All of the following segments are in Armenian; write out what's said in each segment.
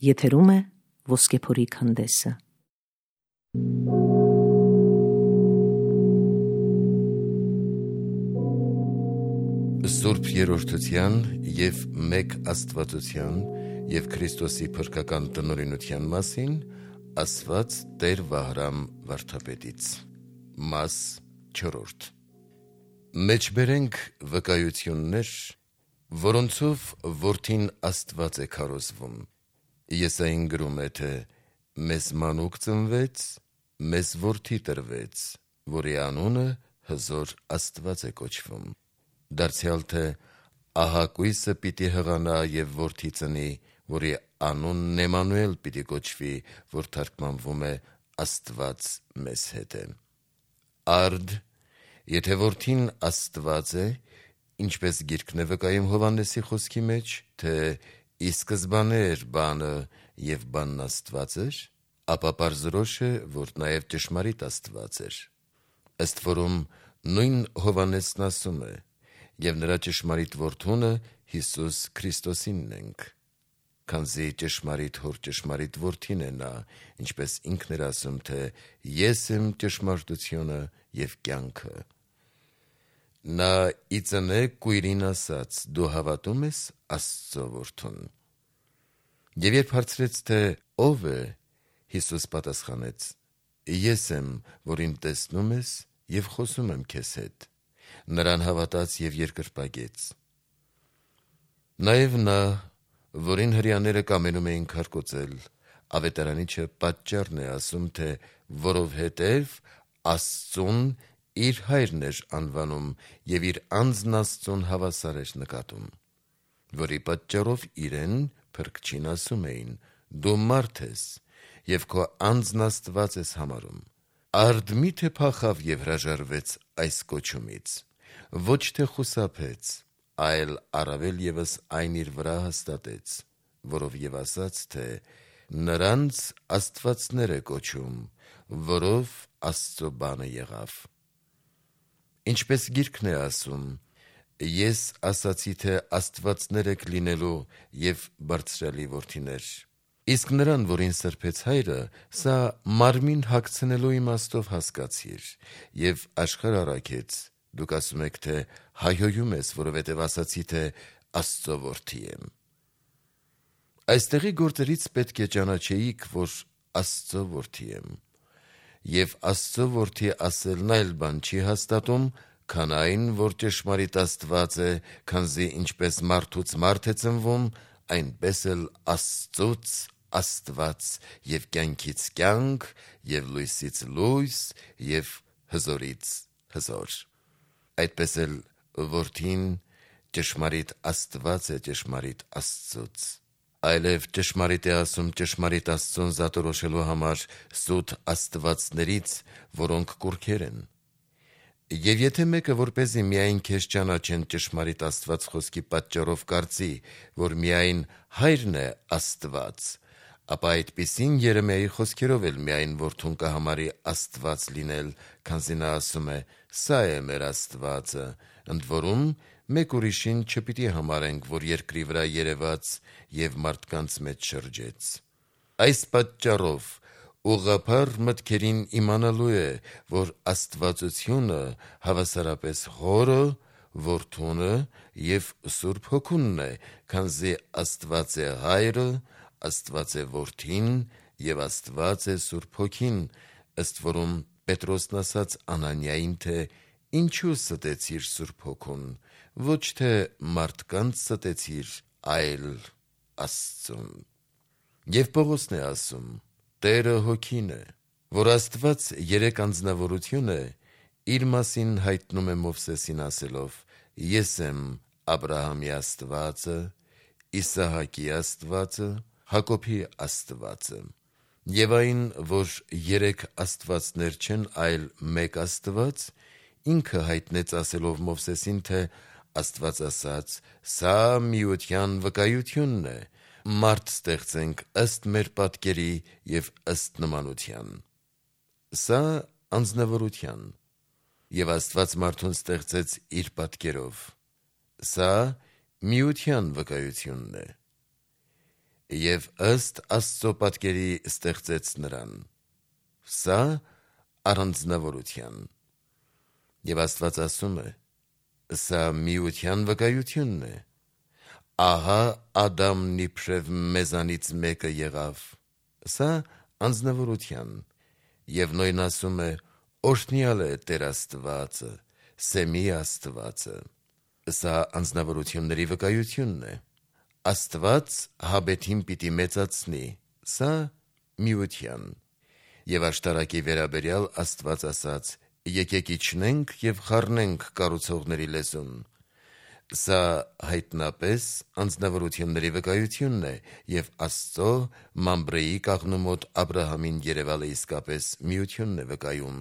Եթերում է Ոսկեփորի քանդեսը։ Սուրբ Երրորդության և մեկ Աստվածության և Քրիստոսի փրկական տնօրինության մասին ասված Տեր Վահրամ վարդապետից։ Մաս 4. Մեջբերենք վկայություններ, որոնցով որդին Աստված է քարոզվում։ Եսային գրում է, թե մեզ մանուկ ծնվեց, մեզ որդի տրվեց, որի անունը հզոր Աստված է կոչվում։ Դարձյալ թե ահա կույսը պիտի հղանա և որդի ծնի, որի անունն Էմանուել պիտի կոչվի, որ թարգմանվում է Աստված մեզ հետ է։ Արդ, եթե որդին Աստված է, ինչպես գիրքն է վկայում Հովհաննեսի խոսքի մեջ, թե ի սկզբանե էր բանը և բանն Աստված էր, ապա պարզորոշ է, որ նաև ճշմարիտ Աստված էր։ Ըստ որում նույն Հովհաննեսն ասում է. «Եվ նրա ճշմարիտ որդունը Հիսուս Քրիստոսինն ենք», քանզի ճշմարիտ հոր ճշմարիտ որդին է նա, ինչպես ինքն էր ասում, թե «Ես եմ ճշմարտությունը և կյանքը»։ Նա ի ծնե կույրին ասաց. «Դու հավատո՞ւմ ես Աստծո որդուն»։ Եվ երբ հարցրեց, թե ո՞վ է, Հիսուս պատասխանեց. «Ես եմ, որին տեսնում ես և խոսում եմ քեզ հետ»։ Նրան հավատաց և երկրպագեց։ Նաև նա, որին հրեաները կամենում էին քարկոծել, ավետարանիչը պատճառն է ասում, թե որովհետև Աստծուն իր հայրն էր անվանում և իր անձն Աստծուն հավասար էր նկատում, որի պատճառով իրեն փրկչին ասում էին. «Դու մարդ ես և քո անձն Աստված ես համարում»։ Արդ մի՞թե փախավ և հրաժարվեց այս կոչումից։ Ոչ թե խուսափեց, այլ առավել ևս այն իր վրա հաստատեց, որով և ասաց, թե նրանց աստվածներ է կոչում, որով Աստծո բանը եղավ։ Ինչպես գիրքն է ասում. «Ես ասացի, թե աստվածներ եք լինելու և բարձրյալի որդիներ»։ Իսկ նրան, որին սրբեց հայրը, սա մարմին հագցնելու իմաստով հասկացիր և աշխարհ առաքեց, դուք ասում եք, թե հայհոյում ես, որովհետև ասացի, թե Աստծո որդի եմ։ Այստեղի գործերից պետք է ճանաչեիք, որ Աստծո որդի եմ։ Եվ Աստծո որդի ասելն այլ բան չի հաստատում, քան այն, որ ճշմարիտ Աստված է, քանզի ինչպես մարդուց մարդ է ծնվում, այնպես էլ Աստծուց Աստված և կյանքից կյանք և լույսից լույս և հզորից հզոր։ Այդպես էլ որդին ճշմարիտ Աստված է ճշմարիտ Աստծուց։ Այլև ճշմարիտ է ասում ճշմարիտ Աստծուն զատորոշելու համար սուտ աստվածներից, որոնք կուռքեր են։ Եվ եթե մեկը, որպեսզի միայն քեզ ճանաչեն ճշմարիտ Աստված խոսքի պատճառով կարծի, որ միայն հայրն է Աստված, ապա այդպիսին Երեմիայի խոսքերով էլ միայն որդուն կհամարի Աստված լինել, քանզի նա ասում է. «Սա է մեր Աստվածը», ընդ որում մեկ ուրիշին չպիտի համարենք, որ երկրի վրա երևաց և մարդկանց մեջ շրջեց։ Այս պատճառով ուղղափառ մտքերին իմանալու է, որ աստվածությունը հավասարապես Հորը, Որդունը և Սուրբ Հոգունն է, քանզի Աստված է Հայրը, Աստված է Որդին և Աստված է Սուրբ Հոգին, ըստ որում Պետրոսն ասաց Անանիային, թե «Ինչու ստեցիր Սուրբ Հոգուն, ոչ թե մարդկանց ստեցիր, այլ Աստծուն»։ Եվ Պողոսն է ասում. «Տերը Հոգին է, որ Աստված երեք անձնավորություն է, իր մասին հայտնում է Մովսեսին ասելով. «Ես եմ Աբրահամի Աստվածը, Իսահակի Աստվածը, Հակոբի Աստվածը»։ Եվ այն, որ երեք աստվածներ չեն, այլ մեկ Աստված, ինքը հայտնեց ասելով Մովսեսին, թե Աստված ասաց. «Սա միության վկայությունն է, մարդ ստեղծենք ըստ մեր պատկերի և ըստ նմանության»։ Սա անձնավորության։ Եվ Աստված մարդուն ստեղծեց իր պատկերով։ Սա միության վկայությունն է։ և ըստ Աստծո պատկերի ստեղծեց նրան։ Սա առանձնավորության։ Եվ Աստված ասում է. սա միության վկայությունն է։ Ահա Ադամն իբրև մեզանից մեկը եղավ։ Սա անձնավորության։ Եվ նույն ասում է. օրհնյալ է Տեր Աստվածը, Սեմի Աստվածը։ Սա անձնավորությունների վկայությունն է։ Աստված Հաբեթին պիտի մեծացնի։ Սա միության։ Եվ աշտարակի վերաբերյալ Աստված ասաց. եկեք իջնենք և խառնենք կառուցողների լեզուն։ Սա հայտնապես անձնավորությունների վկայությունն է և Աստծո Մամբրեի կաղնու մոտ Աբրահամին երևալը իսկապես միությունն է վկայում։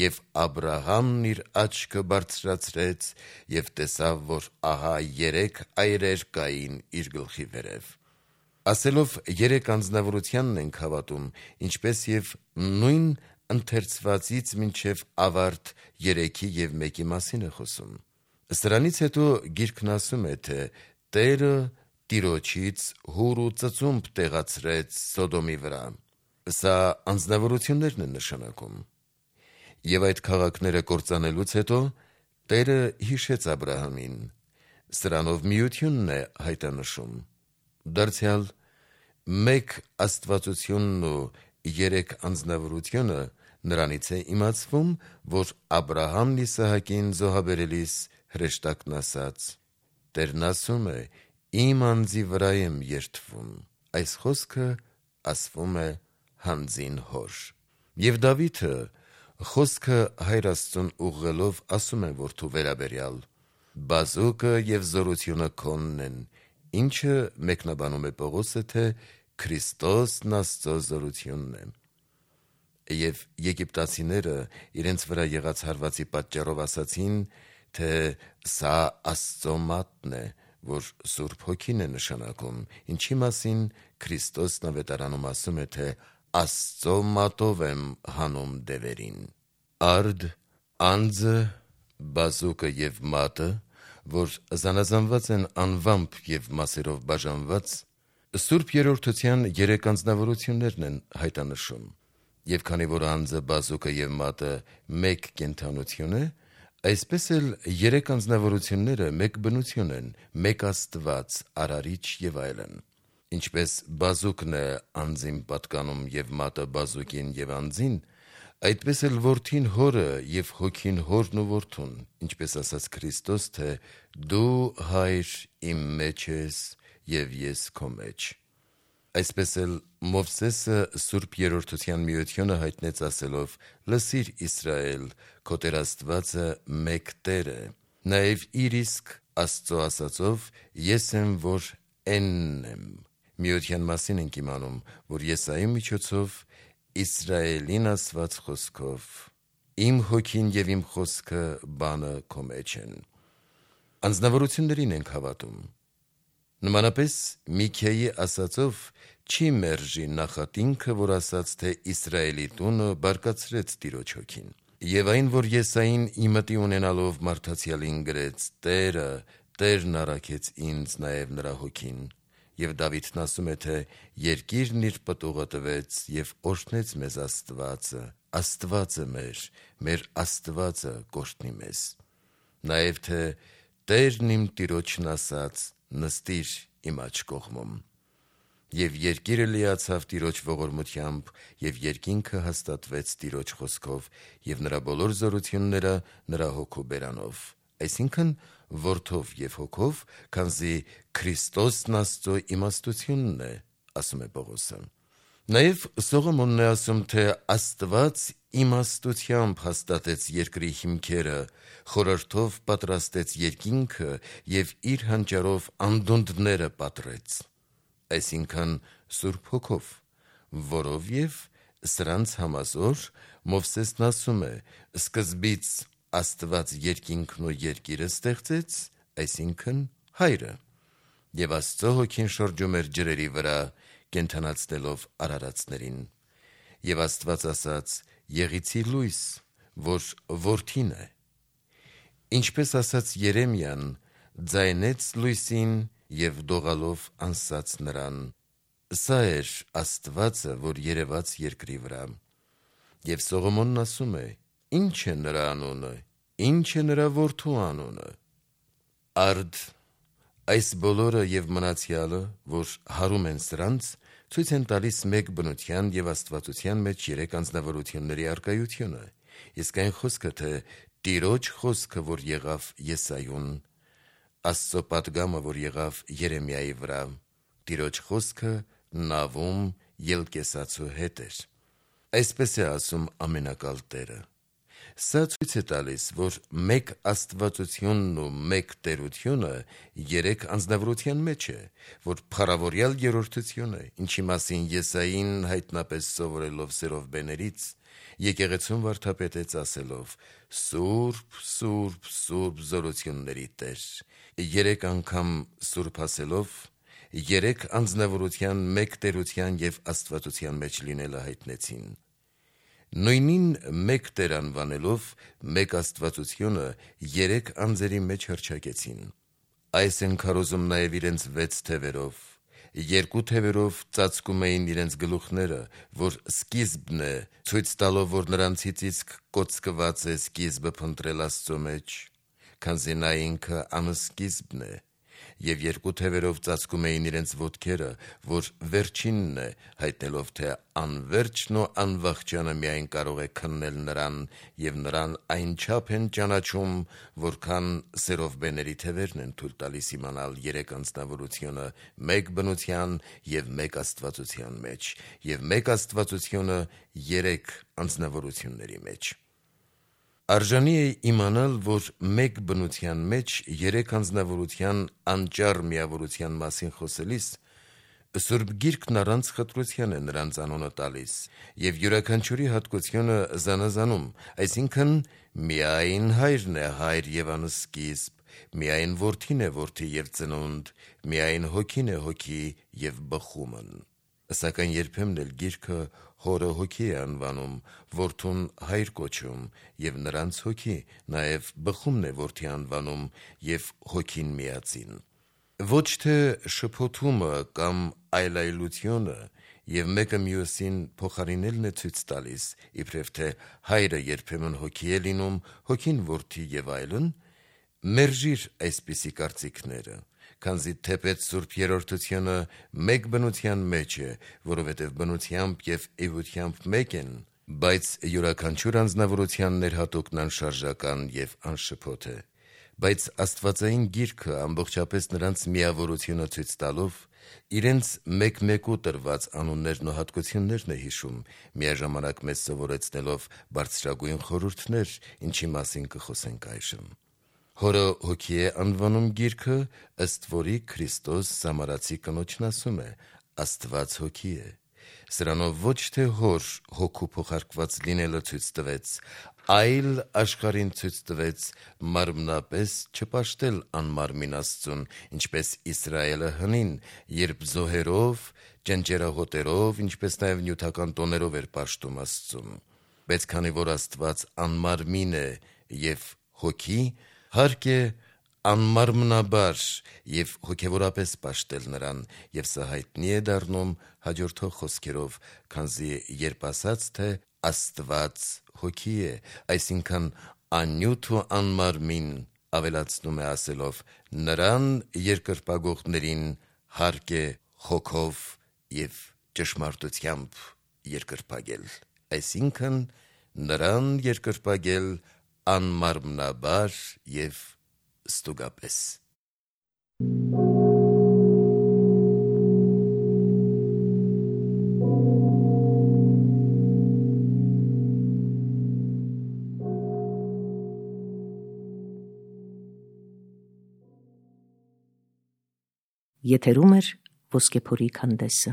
Եվ Աբրահամն իր աչքը բարձրացրեց և տեսավ, որ ահա 3 այրեր կային իր գլխի վերև։ Ասելով 3 անձնավորությանն ենք հավատում, ինչպես և նույն ընթերցվածից մինչև ավարտ 3-ի և 1-ի մասին է խոսում։ Սրանից հետո Գիրքն ասում է, թե Տերը Տիրոջից հուր ու ծծումբ տեղացրեց Սոդոմի վրա։ Սա անձնավորություններն են նշանակում։ Եվ այդ քաղաքները կործանելուց հետո Տերը հիշեց Աբրահամին։ Սրանով միությունն է հայտանշում։ Դարձյալ մեկ աստվածությունն ու 3 անձնավորությունը նրանից է իմացվում, որ Աբրահամն Իսահակին զոհաբերելիս հրեշտակն ասաց. Տերն ասում է. իմ անձի վրա եմ երդվում։ Այս խոսքը ասվում է հանձին հոր։ Եվ Դավիթը խոսքը Հայր Աստծուն ուղղելով ասում է որդու վերաբերյալ. բազուկը և զորությունը քոնն են, ինչը մեկնաբանում է Պողոսը, թե Քրիստոսն Աստծո զորությունն է։ Եվ եգիպտացիները իրենց վրա եղած հարվածի պատճառով ասացին, թե սա Աստծո մատն է, որ Սուրբ Հոգին է նշանակում, ինչի մասին Քրիստոսն ավետարանում ասում է, թե Աստծո մատով եմ հանում դևերին։ Արդ, անձը, բազուկը և մատը, որ զանազանված են անվամբ և մասերով բաժանված, Սուրբ Երրորդության 3 անձնավորություններն են հայտանշում։ Եվ քանի որ անձը, բազուկը և մատը մեկ կենդանություն է, այսպես էլ 3 անձնավորությունները մեկ բնություն են, մեկ Աստված, Արարիչ և այլն։ Ինչպես բազուկն է անձին պատկանում և մատը բազուկին և անձին, այդպես էլ որդին հորը և հոգին հորն ու որդուն, ինչպես ասաց Քրիստոս, թե դու Հայր իմ մեջ ես և ես քո մեջ։ Այսպես էլ Մովսեսը Սուրբ Երրորդության միությունը հայտնեց ասելով. լսիր Իսրայել, քո Տեր Աստվածը մեկ Տեր է, նաև իր իսկ Աստծո ասածով ես եմ, որ Էնն եմ։ Միության մասին ենք իմանում, որ Եսայի միջոցով Իսրայելին ասված խոսքով. իմ հոգին և իմ խոսքը բանը քո մեջ են։ Անձնավորություններին ենք հավատում։ Նմանապես Միքիայի ասածով չի մերժի նախատինքը, որ ասաց, թե Իսրայելի տունը բարկացրեց Տիրոջ հոգին։ Եվ այն, որ Եսային իմտի ունենալով մարդացյալին գրեց. Տերը, Տերն առաքեց ինձ նաև նրա հոգին։ Եվ Դավիթն ասում է, թե երկիրն իր պտուղը տվեց և օրհնեց մեզ Աստվածը, Աստվածը մեր Աստվածը կօրհնի մեզ։ Նաև թե Տերն իմ Տիրոջն ասաց. նստիր իմ աջ կողմում։ Եվ երկիրը լիացավ Տիրոջ ողորմությամբ, և երկինքը հաստատվեց Տիրոջ խոսքով, և նրա բոլոր զորությունները նրա հոգու բերանով։ Այսինքն որդով և հոգով, քանզի Քրիստոսն Աստծո իմաստությունն է, ասում է Պողոսը։ Նաև Սողոմոնն է ասում, թե Աստված իմաստությամբ հաստատեց երկրի հիմքերը, խորհրդով պատրաստեց երկինքը և իր հանճարով անդունդները պատռեց։ Այսինքն Սուրբ Հոգով, որովև սրանց համազոր Մովսեսն ասում է. սկզբից Աստված երկինքն ու երկիրը ստեղծեց, այսինքն Հայրը, և Աստծո Հոգին շրջում էր ջրերի վրա, կենդանացնելով արարածներին։ Եվ Աստված ասաց. եղիցի լույս, որ որդին է։ Ինչպես ասաց Երեմիան. ձայնեց լույսին և դողալով անսաց նրան. Սա էր Աստվածը, որ երևաց երկրի վրա։ Եվ Սողոմոնն ասում է. ինչ է նրա անունը, ինչ է նրա որդու անունը։ Արդ այս բոլորը եւ մնացյալը, որ հարում են սրանց, ցույց են տալիս մեկ բնության եւ աստվածության մեջ երեք անձնավորությունների առկայությունը։ Իսկ այն խոսքը, թե Տիրոջ խոսքը, որ եղավ Եսայուն, Աստծո պատգամը, որ եղավ Երեմիայի վրա, Տիրոջ խոսքը նավում ելկեսացու հետ էր։ Այսպես է ասում ամենակալ Տերը։ Սա ցույց է տալիս, որ մեկ աստվածությունն ու մեկ տերությունը երեք անձնավորության մեջ է, որ փառավորյալ երրորդություն է, ինչի մասին Եսային հայտնապես սովորելով Սերովբեներից, եկեղեցուն վարդապետեց ասելով. Սուրբ, Սուրբ, Սուրբ զորությունների Տեր։ Երեք անգամ Սուրբ ասելով, երեք անձնավորության, մեկ տերության եւ աստվածության մեջ լինելը հայտնեցին։ Նույնին մեկ Տեր անվանելով, մեկ աստվածությունը երեք անձերի մեջ հռչակեցին։ Այս են քարոզում նաև իրենց 6 թևերով, 2 թևերով ծածկում էին իրենց գլուխները, որ սկիզբն է, ցույց տալով, որ նրանցից իսկ կոծկված է սկիզբը փնտրել Աստծո մեջ, քանզի նա ինքը անսկիզբն է, եւ 2 թևերով ծածկում էին իրենց ոտքերը, որ վերջինն է, հայտնելով, թե անվերջն ու անվախճանը միայն կարող է քննել նրան, եւ նրան այնչափ են ճանաչում, որքան Սերովբեների թևերն են թույլ տալիս իմանալ երեք անձնավորությունը մեկ բնության եւ մեկ աստվածության մեջ, եւ մեկ աստվածությունը երեք անձնավորությունների մեջ։ Արժանի է իմանալ, որ մեկ բնության մեջ երեք անձնավորության անճար միավորության մասին խոսելիս Սուրբ Գիրքն առանց խտրության է նրանց անունը տալիս եւ յուրաքանչյուրի հատկությունը զանազանում, այսինքն միայն Հայրն է Հայր եւ անսկիզբ, միայն Որդին է Որդի եւ ծնունդ, միայն Հոգին է Հոգի եւ բխումն։ Սակայն երբեմն էլ Գիրքը Հորը Հոգի է անվանում, Որդուն Հայր կոչում եւ նրանց Հոգի, նաեւ բխումն է Որդի անվանում եւ Հոգին միածին։ Ոչ թե շփոթումը կամ այլայլությունը եւ մեկը մյուսին փոխարինելն է ցույց տալիս, իբրև թե Հայրը երբեմն Հոգի է լինում, Հոգին Որդի եւ այլն, մերժիր այսպիսի կարծիքները, քանզի թեպետ Սուրբ Երրորդությունը մեկ բնության մեջ է, որովհետև բնությամբ եւ էությամբ մեկ են, բայց յուրաքանչյուր անձնավորության ներհատուկն անշարժական եւ անշփոթ է։ Բայց Աստվածային Գիրքը ամբողջապես նրանց միավորությունը ցույց տալով, իրենց մեկ-մեկու տրված անուններն ու հատկություններն է հիշում, միաժամանակ մեզ սովորեցնելով բարձրագույն խորհուրդներ, ինչի մասին կխոսենք այժմ։ Հորը Հոգի է անվանում Գիրքը, ըստ որի Քրիստոս Սամարացի կնոջն ասում է. Աստված Հոգի է։ Սրանով ոչ թե Հոր Հոգու փոխարկված լինելը ցույց տվեց, այլ աշխարհին ցույց տվեց մարմնապես չպաշտել անմարմին Աստծուն, ինչպես Իսրայելը հնին, երբ զոհերով, ճնճերահոտերով, ինչպես նաև նյութական տոներով էր պաշտում Աստծուն։ Բայց քանի որ Աստված անմարմին է եւ Հոգի, հարկ է անմարմնաբար եւ հոգեվորապես պաշտել նրան, եւ սա հայտնի է դառնում հաջորդող խոսքերով, քանզի երբ ասաց, թե Աստված Հոգի է, այսինքն աննյութ ու անմարմին, ավելացնում է ասելով, նրան երկրպագողներին հարկ է հոգով եւ ճշմարտությամբ երկրպագել, այսինքն նրան երկրպագել անմարմնաբար եւ ստուգապես։ Եթերում է Ոսկեփորի քանդեսը։